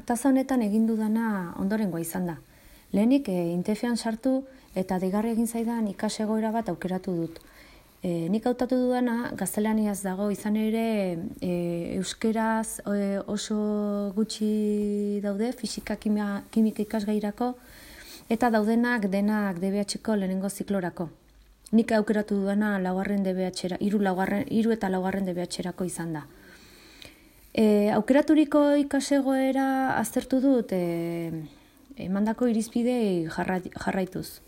Ataza honetan egin dudana ondorengoa izan da. Lehenik Intefean sartu eta deigarri egin zaidan ikasegoera bat aukeratu dut. Nik hautatu dudana gaztelaniaz dago, izan ere euskeraz oso gutxi daude, fisika kimika ikasgairako, eta daudenak denak DBH-ko lehenengo ziklorako. Nik aukeratu dudana laugarren DBH-era, hiru eta laugarren DBH-erako izan da. Aukeraturiko ikasegoera aztertu dut emandako irizpidei jarraituz.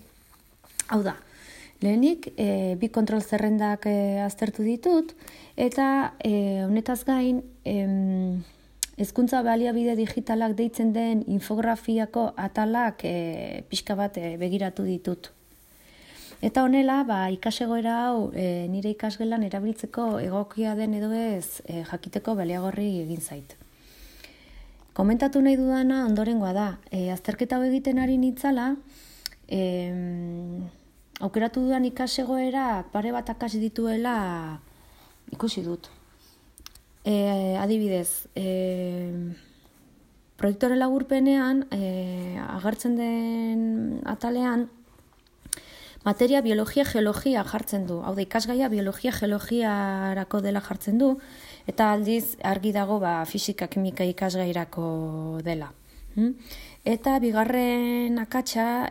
Hau da, lehenik bi kontrol zerrendak aztertu ditut eta honetaz gain hezkuntza baliabide digitalak deitzen den infografiako atalak pixka bat begiratu ditut. Eta honela, ikasegoera hau nire ikasgelan erabiltzeko egokia den edo ez jakiteko baliagorri egin zait. Komentatu nahi dudana ondorengoa da. Azterketa hau egiten ari nitzala, aukeratu dudan ikasegoera pare bat akats dituela ikusi dut. Adibidez, proiektore laburpenean agertzen den atalean materia biologia-geologia jartzen du. Hau da, ikasgaia biologia-geologiarako dela jartzen du, eta aldiz argi dago fisika-kimika ikasgairako dela. Eta bigarren akatsa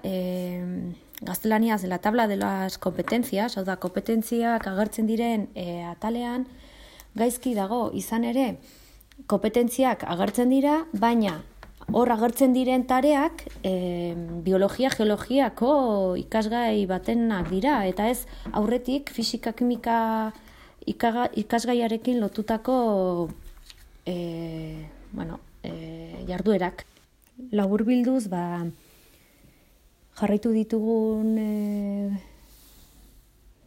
gaztelaniaz la tabla de las competencias, hau da, kompetentziak agertzen diren atalean, gaizki dago, izan ere, kompetentziak agertzen dira, baina hor agertzen diren tareak biologia-geologiako ikasgai batenak dira, eta ez aurretik fisika-kimika ikasgaiarekin lotutako jarduerak. Laburbilduz, jarraitu ditugun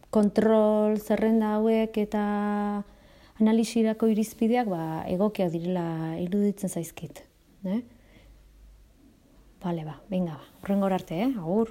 kontrol zerrenda hauek eta analisirako irizpideak egokiak direla iruditzen zaizkit. Venga, hurrengora arte, agur.